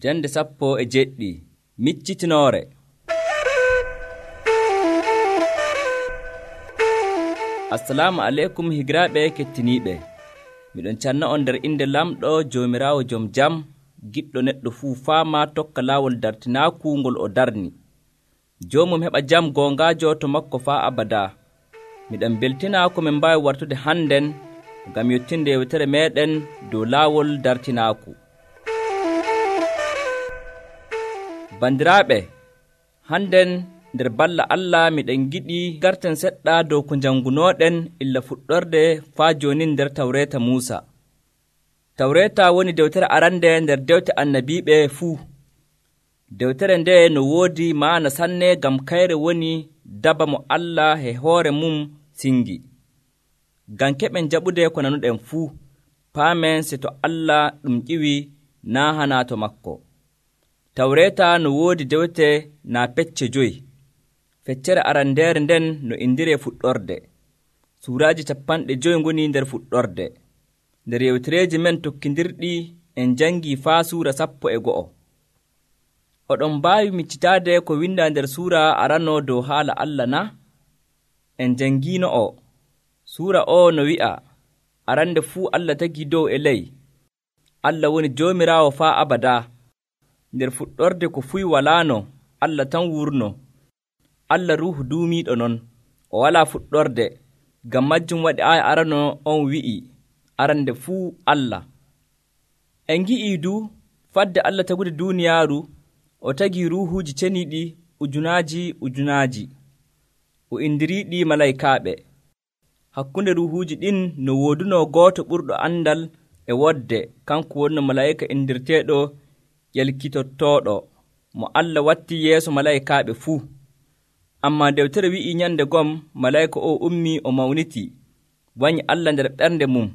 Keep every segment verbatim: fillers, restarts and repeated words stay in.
Jande sappo e jeɗɗi miccitinoore. Assalamu aleykum higiraaɓe kettiniiɓe. Miɗon canna on nder inde lamɗo Joomiraawo jom jam, giɗɗo neɗɗo fuu faama tokka laawol dartinaaku ngol o darni. Joomum heɓa jam goongaajo to makko faa abadaa. Miɗon beltina ko min mbaawi wartude hannden ngam yottinde yewtere meeɗen dow laawol dartinaaku. Bandiraaɓe, hannden nder balla Allah miɗen giɗi garten seɗɗa dow ko janngunooɗen illa fuɗɗorde faa jooni nder Tawreeta Muusa. Tawreeta woni dewtere arande nder dewte annabiiɓe fuu. Dewtere nde no woodi maana sanne ngam kayre woni daba mo Allah e hoore mum singi. Ngam keɓen jaɓude ko nanuɗen fuu, paamen se to Allah ɗum ƴiwi naa hanaa to makko. Tawreeta no woodi dewte naa pecce joyi. Feccere arandeere nden no indiree fuɗɗorde. Suuraaji capanɗe joyi ngoni nder fuɗɗorde. Nder yewtereeji men tokkindirɗi en janngii faa suura sappo e go'o. Oɗon mbaawi miccitaade ko windaa nder suura arano dow haala Allah na? En janngiino o. Suura o no wi'a, arande fuu Allah tagii dow e ley. Allah woni Joomiraawo faa abadaa. Nder fuɗɗorde ko fuyi walaano, Allah tan wurno. Allah Ruuhu duumiiɗo non, o walaa fuɗɗorde, ngam majjum waɗi aaya arano on wi'i, arande fuu Allah. En ngi'ii du, fadde Allah tagude duuniyaaru, o tagii ruuhuuji ceniiɗi ujunaaji ujunaaji. O indiriiɗi malaykaaɓe. Hakkunde ruuhuuji ɗin no woodunoo gooto ɓurɗo andal e wodde, kanko wonno malayka indirteeɗo ƴelkitottooɗo, mo Allah watti yeeso malaykaaɓe fuu. Ammaa dewtere wi'ii nyande gom malayka o ummii o mawnitii, wanyi Allah nder ɓernde mum,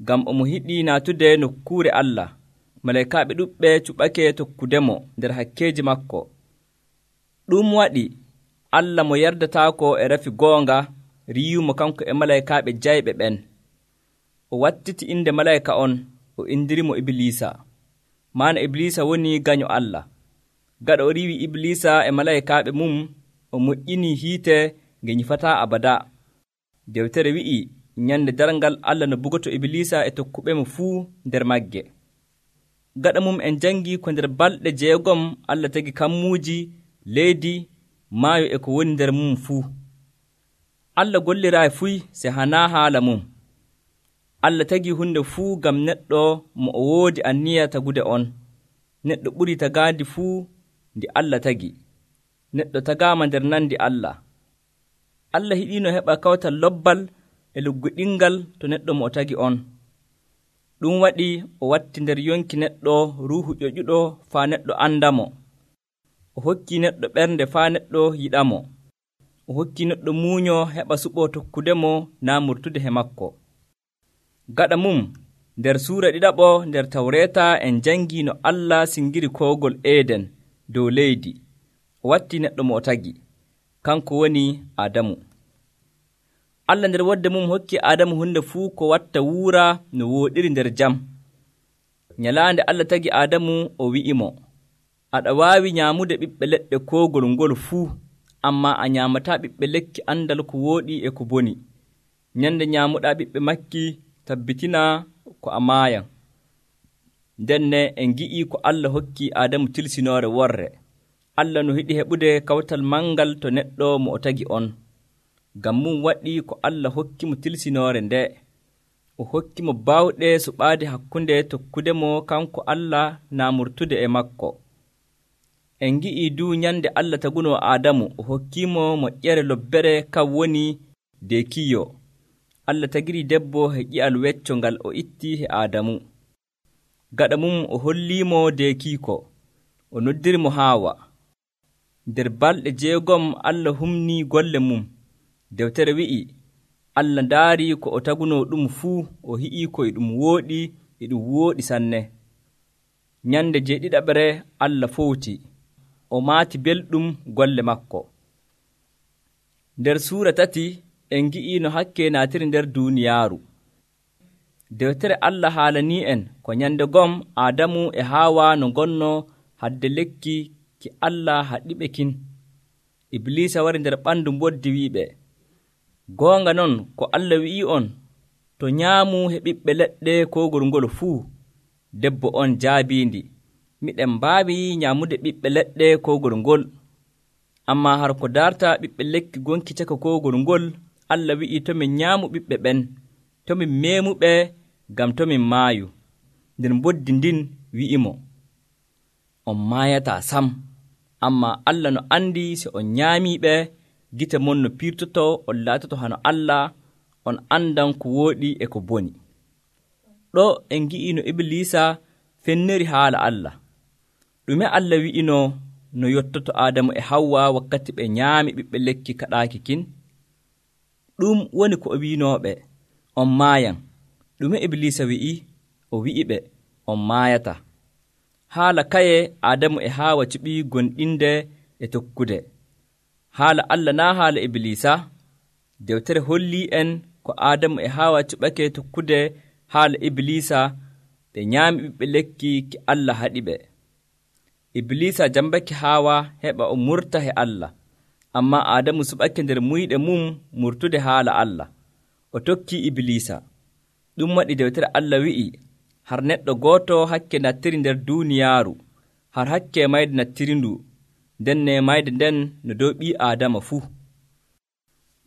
ngam omo hiɗii naatude nokkuure Allah. Malaykaaɓe ɗuɓɓe cuɓake tokkudemo nder hakkeeji makko. Ɗum waɗi Allah mo yardataako e rafi goonga riyumo kanko e malaykaaɓe jayɓe ɓen. O wattiti inde malayka on, o indirimo Ibliisa. Maana Ibliisa woni gaño Allah. Gaɗa o riiwi Ibliisa e malaykaaɓe mum, o moƴƴinii hiite nge nyifataa abadaa. Dewtere wi'i nyande darngal Allah no bugoto Ibliisa e tokkuɓemo fuu nder magge. Gaɗa mum en janngii ko nder balɗe jeegom Allah tagi kammuuji, leydi, maayo e ko woni nder mum fuu. Allah golliraayi fuy se hanaa haala mum. Allah tagii hunde fuu ngam neɗɗo mo o woodi anniya tagude on. Neɗɗo ɓurii tagaandi fuu ndi Allah tagi. Neɗɗo tagaama nder nandi Allah. Allah hiɗiino heɓa kawtal lobbal e lugguɗingal to neɗɗo mo o tagi on. Ɗum waɗi o watti nder yonki neɗɗo ruuhu ƴoƴuɗo faa neɗɗo andamo. O hokkii neɗɗo ɓernde faa neɗɗo yiɗamo. O hokkii neɗɗo muuño heɓa suɓoo tokkudemo naa murtude he makko. Gaɗa mum nder suura ɗiɗaɓo nder Tawreeta en janngii no Allah singiri koogol Eeden dow leydi. O watti neɗɗo mo o tagi, kanko woni Aadamu. Allah nder wodde mum hokki Aadamu hunde fuu ko watta wuura no wooɗiri nder jam. Nyalaande Allah tagi Aadamu o wi'imo, aɗa waawi nyaamude ɓiɓɓe leɗɗe koogol ngol fuu, ammaa a nyaamataa ɓiɓɓe lekki andal ko wooɗi e ko boni. Nyande nyaamuɗaa ɓiɓɓe makki tabbitina ko a maayan. Ndenne en ngi'ii ko Allah hokki Aadamu tilsinoore worre. Allah no hiɗi heɓude kawtal mangal to neɗɗo mo o tagi on. Ngam mum waɗi ko Allah hokki mo tilsinoore nde. O hokki mo baawɗe suɓaade hakkunde tokkudemo kanko Allah naa murtude e makko. En ngi'ii du nyande Allah tagunoo Aadamu o hokkiimo moƴƴere lobbere kan woni deekiyo. Allah tagirii debbo e ƴi'al wecco ngal o itti he Aadamu. Gaɗa mum o holliimo deekiiko, o noddirimo Haawa. Nder balɗe jeegom Allah humnii golle mum. Dewtere wi'i, Allah ndaarii ko o tagunoo ɗum fuu, o hi'ii ko e ɗum wooɗi e ɗum wooɗi sanne. Nyande jeeɗiɗaɓere Allah fowti, o maati belɗum golle makko. Nder suura tati en ngi'ii no hakke naatiri nder duuniyaaru. Dewtere Allah haalanii en ko nyande gom Aadamu e Haawa no ngonno hadde lekki ki Allah haɗiɓe kin. Iblisa wari nder ɓandu mboddi wi'iɓe, goonga non ko Allah wi'i on, to nyaamu he ɓiɓɓe leɗɗe kogol ngol fuu. Debbo on jaabiindi, miɗen mbaawi nyaamude ɓiɓɓe leɗɗe kogol ngol. Ammaa har ko darta ɓiɓɓe lekki gonki caka kogol ngol, Allah wi'i to min nyaamu ɓiɓɓe ɓen, to min meemuɓe ngam to min maayu. Nder mboddi ndin wi'imo, on maayataa sam. Ammaa Allah no andi si on nyaamiiɓe, gite mon no piirtoto on laatoto hano Allah, on andan ko wooɗi e ko boni. Ɗo en ngi'i no Iblisa fenneri haala Allah. Ɗume Allah wi'ino no yottoto Aadamu e Hawwa wakkati ɓe nyaami ɓiɓɓe lekki kaɗaaki kin? Ɗum woni ko o wi'inooɓe, on maayan. Ɗume Iblisa wi'i? O wi'iɓe, on maayata. Haala kaye Aadamu e Haawa cuɓi gonɗinde e tokkude. Haala Allah naa haala Iblisa. Dewtere hollii en ko Aadamu e Haawa cuɓake tokkude haala Iblisa, ɓe nyaami ɓiɓɓe lekki ki Allah haɗiɓe. Iblisa jambake Haawa heɓa o murta he Allah, ammaa Aadamu suɓake nder muyɗe mum murtude haala Allah. O tokkii Iblisa. Ɗum waɗi dewtere Allah wi'i, har neɗɗo gooto hakke nattiri nder duuniyaaru, har hakke mayde nattiri ndu, ndenne mayde nden no dow ɓii Aadama fuu.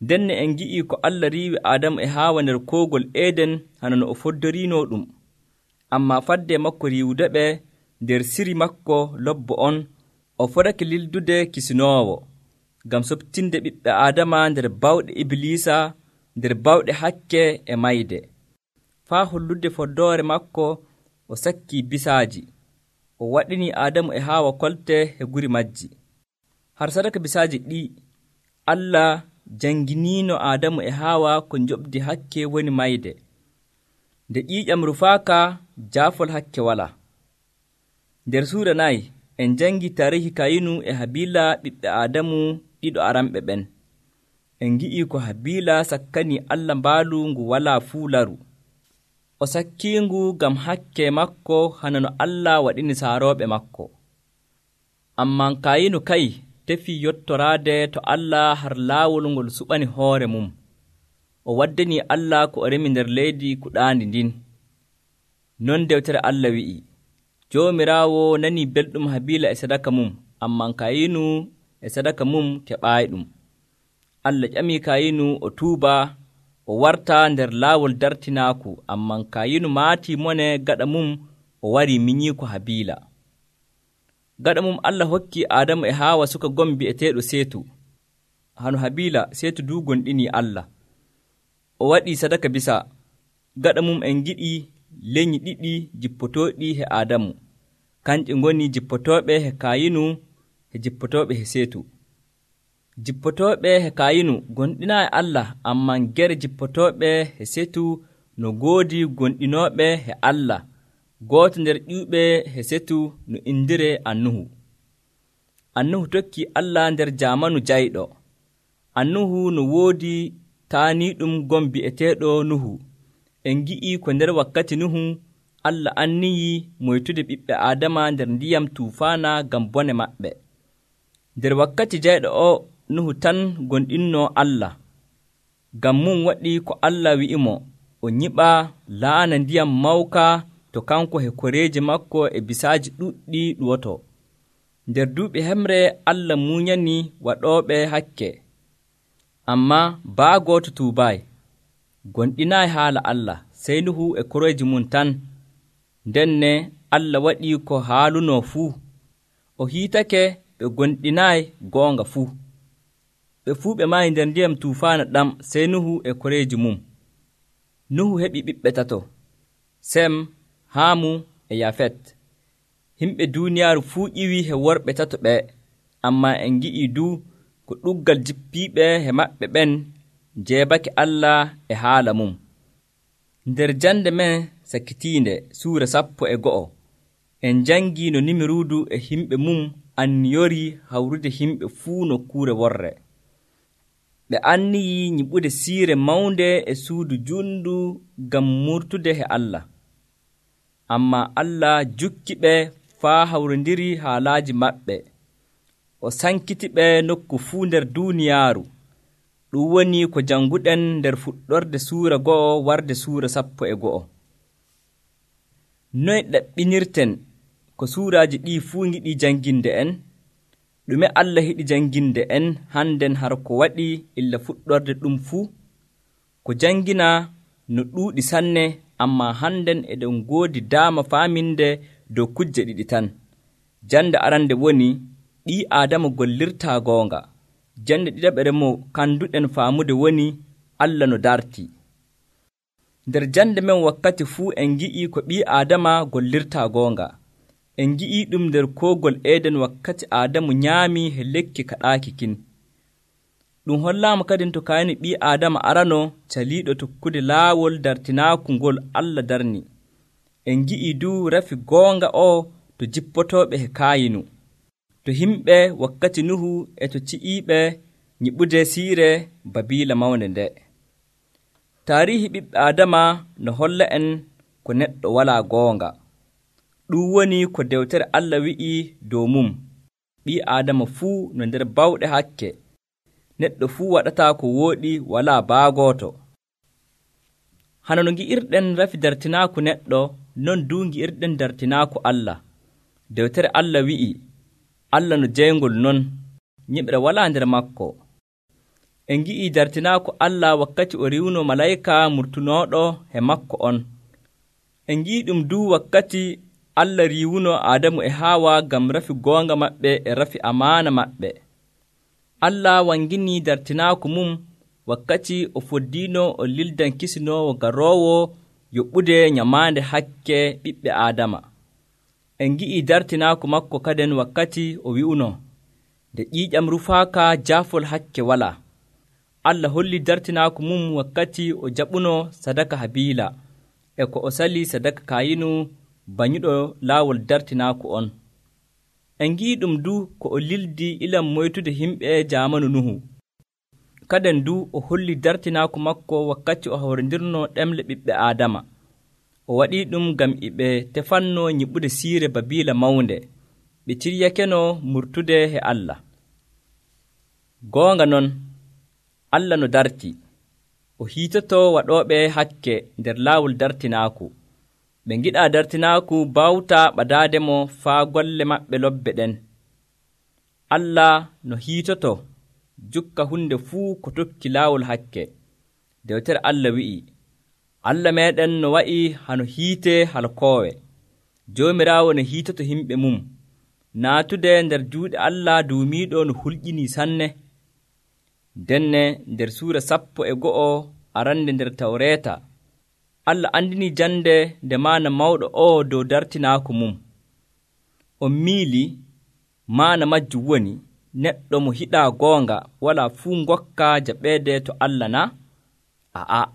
Ndenne en ngi'ii ko Allah riiwi Aadamu e Haawa nder koogol Eeden hano no o foddoriinoo ɗum. Ammaa fadde makko riiwude ɓe nder siri makko lobbo on, o fotake lildude kisinoowo, ngam soɓtinde ɓiɓɓe Aadama nder bawɗe Iblisa, nder bawɗe hakke e mayde. Faa hollude foddoore makko, o sakkii bisaaji, o waɗinii Aadamu e Haawa kolte e guri majji. Har sadaka bisaaji ɗi, Allah janginiino Aadamu e Haawa ko njoɓdi hakke woni mayde. Nde ƴiiƴam rufaaka, jaafol hakke walaa. Nder suura nayi, en jangi tarihi Kayinu e Habiila ɓiɓɓe Aadamu ɗiɗo aranɓe ɓen. En ngi'ii ko Habiila sakkanii Allah mbaalu ngu walaa fuu laru. O sakkiingu ngam hakke makko hana no Allah waɗini saarooɓe makko. Ammaa Kayinu kay tefii yottoraade to Allah har laawol ngol suɓani hoore mum. O waddanii Allah ko o remi nder leydi kuɗaandi ndin. Non dewtere Allah wi'i, Joomiraawo nanii belɗum Habiila e sadaka mum, ammaa Kayinu e sadaka mum keɓaayiɗum. Allah ƴamii Kayinu o tuuba, o warta nder laawol dartinaaku, ammaa Kayinu maatii mone gaɗa mum, o warii minyii ko Habiila. Gaɗa mum Allah hokkii Aadamu e Haawa suka gom bi'eteeɗo Seetu. Hano Habiila Seetu duu gonɗinii Allah. O waɗii sadaka bisa. Gaɗa mum en giɗii leñi ɗiɗi jippotooɗi he Aadamu. Kanƴe ngoni jippotooɓe he Kayinu e jippotooɓe he Seetu. Jippotooɓe he Kayinu gonɗinaa e Allah, ammaa gere jippotooɓe he Seetu no goodi gonɗinooɓe he Allah. Gooto nder ƴiwɓe he Seetu no indire Annuhu. Annuhu tokkii Allah nder jaamanu jayɗo. Annuhu no woodi taaniiɗum gom bi'eteeɗo Nuhu. En ngi'ii ko nder wakkati Nuhu Allah anniyii moytude ɓiɓɓe Aadama nder ndiyam tuufaana ngam bone maɓɓe. Nder wakkati jayɗo o Nuhu tan gonɗinnoo Allah. Ngam mum waɗi ko Allah wi'imo, o nyiɓa laana ndiyam mawka to kanko he koreeji makko e bisaaji ɗuɗɗi ɗuwoto. Nder duuɓi hemre Allah munyani waɗooɓe hakke. Ammaa baa gooto tuubaay, gonɗinaayi haala Allah, sey Nuhu e koreeji mum tan. Ndenne Allah waɗii ko haalunoo fuu. O hiitake ɓe gonɗinaayi goonga fuu. Ɓe fuu ɓe maayi nder ndiyam tuufaana ɗam, sey Nuhu e koreeji mum. Nuhu heɓi ɓiɓɓe tato, Sem, Haamu e Yafet. Himɓe duuniyaaru fuu ƴiwii he worɓe tato ɓe, ammaa en ngi'ii duu ko ɗuggal jippiiɓe he maɓɓe ɓen jeebake Allah e haala mum. Nder jande men sakitiinde suura sappo e go'o, en jangii no Nimiruudu e himɓe mum anniyori hawrude himɓe fuu nokkuure worre. Ɓe anniyii nyiɓude siire mawnde e suudu junndu ngam murtude he Allah. Ammaa Allah jukki ɓe faa hawrindiri haalaaji maɓɓe. O sankitiɓe nokku fuu nder duuniyaaru. Ɗum woni ko jannguɗen nder fuɗɗorde suura go'o warde suura sappo e go'o. Noy ɗaɓɓinirten ko suuraaji ɗii fuu ngiɗi jannginde en? Ɗume Allah yiɗi jannginde en hannden har ko waɗi illa fuɗɗorde ɗum fuu? Ko janngina no ɗuuɗi sanne, ammaa hannden eɗen ngoodi daama faaminde dow kujje ɗiɗi tan. Jande arande woni ɓii Aadama gollirtaa goonga. Jande ɗiɗaɓere mo kanduɗen faamude woni Allah no dartii. Nder jande men wakkati fuu en ngi'i ko ɓii Aadama gollirtaa goonga. En ngi'i ɗum nder koogol Eeden wakkati Aadamu nyaamii he lekki kaɗaaki kin. Ɗum hollaama kadin to kayni ɓii Aadama arano caliiɗo tokkude laawol dartinaaku ngol Allah darni. En ngi'i duu rafi goonga o to jippotooɓe he Kaayinu, to himɓe wakkati Nuhu e to ci'iiɓe nyiɓude siire Babiila mawnde nde. Taariihi ɓiɓɓe Aadama no holla en ko neɗɗo walaa goonga. Ɗum woni ko dewtere Allah wi'i dow mum. Ɓii Aadama fuu no nder bawɗe hakke. Neɗɗo fuu waɗataa ko wooɗi walaa baagooto. Hana no ngi'irɗen rafi dartinaaku neɗɗo, non duu ngi'irɗen dartinaaku Allah. Dewtere Allah wi'i, Allah no jeyngol non, nyiɓre walaa nder makko. En ngi'i dartinaaku Allah wakkati o riwno malayka murtunooɗo he makko on. En ngi'i ɗum duu wakkati Allah riiwuno Aadamu e Haawa ngam rafi goonga maɓɓe e rafi amaana maɓɓe. Allah wanginii dartinaaku mum wakkati o foddiino o lildan kisinoowo garoowo yoɓɓude nyamaande hakke ɓiɓɓe Aadama. En ngi'i dartinaaku makko kaden wakkati o wi'uno, nde ƴiiƴam rufaaka jaafol hakke walaa. Allah holli dartinaaku mum wakkati o jaɓuno sadaka Habiila e ko o sali sadaka Kaayinu banyuɗo laawol dartinaaku on. En ngi'i ɗum du ko o lildi ilam moytude himɓe jaamanu Nuhu. Kaden du o holli dartinaaku makko wakkati o hawrindirno ɗemle ɓiɓɓe Aadama. O waɗii ɗum ngam iɓe tefanno nyiɓude siire Babiila mawnde. Ɓe ciryakeno murtude he Allah. Goonga non, Allah no darti. O hiitoto waɗooɓe hakke nder laawol dartinaaku. Ɓe ngiɗaa dartinaaku bawta ɓadaademo faa golle maɓɓe lobbe ɗen. Allah no hiitoto jukka hunde fuu ko tokki laawol hakke. Dewtere Allah wi'i, Allah meeɗen no wa'i hano hiite halkoowe. Joomiraawo no hiitoto himɓe mum. Naatude nder juuɗe Allah duumiiɗo no hulƴinii sanne. Denne nder suura sappo e go'o arande nder Tawreeta, Allah andini jande nde maana mawɗo o dow dartinaaku mum. On miili maana majjum woni neɗɗo mo hiɗaa goonga walaa fuu ngokka jaɓeede to Allah na? Aa,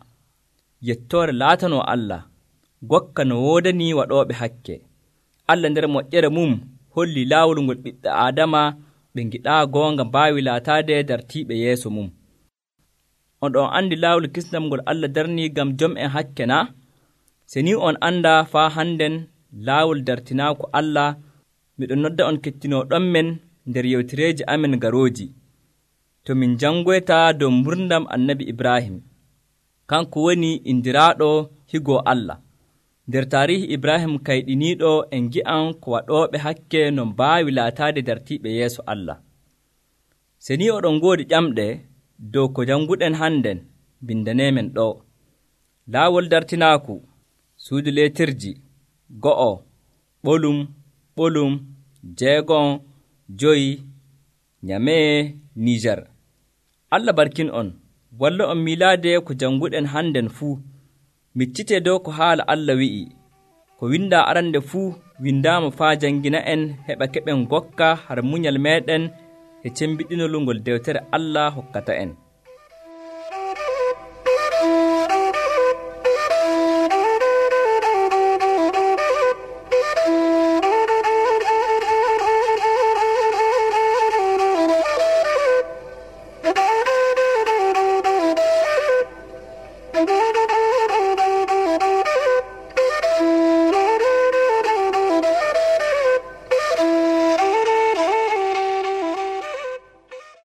yettoore laatanoo Allah, gokka no woodani waɗooɓe hakke. Allah nder moƴƴere mum holli laawol ngol ɓiɓɓe Aadama ɓe ngiɗaa goonga mbaawi laataade dartiiɓe yeeso mum. On ɗon anndi laawol kisnam ngol Allah darnii ngam jom en hakke na? Se ni on anndaa faa hannden laawol dartinaaku Allah, miɗon nodda on kettinooɗon men nder yewtereeji amen garooji. To min janngoyta dow murdam annabi Ibrahim, kanko woni indiraaɗo higoo Allah. Nder taarihi Ibrahim kayɗiniiɗo en ngi'an ko waɗooɓe hakke no mbaawi laataade dartiiɓe yeeso Allah. Se ni oɗon ngoodi ƴamɗe dow ko jannguɗen hannden, bindaneemen ɗo. Laawol dartinaaku, suudu leetirji, go'o, ɓolum, ɓolum, jeegon, joyi, nyamee, Niijar. Allah barkin on, walla on miilaade ko jannguɗen hannden fuu. Miccitee dow ko haala Allah wi'i, ko windaa arande fuu windaama faa janngina en heɓa keɓen gokka har munyal meeɗen e cembiɗinol ngol dewtere Allah hokkata en.